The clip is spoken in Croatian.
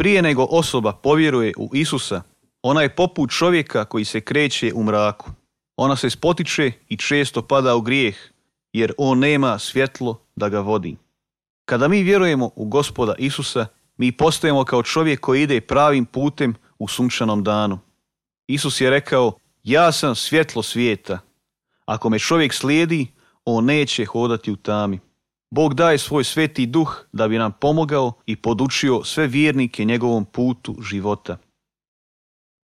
Prije nego osoba povjeruje u Isusa, ona je poput čovjeka koji se kreće u mraku. Ona se spotiče i često pada u grijeh, jer on nema svjetlo da ga vodi. Kada mi vjerujemo u Gospoda Isusa, mi postajemo kao čovjek koji ide pravim putem u sunčanom danu. Isus je rekao, ja sam svjetlo svijeta. Ako me čovjek slijedi, on neće hodati u tami. Bog daje svoj sveti duh da bi nam pomogao i podučio sve vjernike njegovom putu života.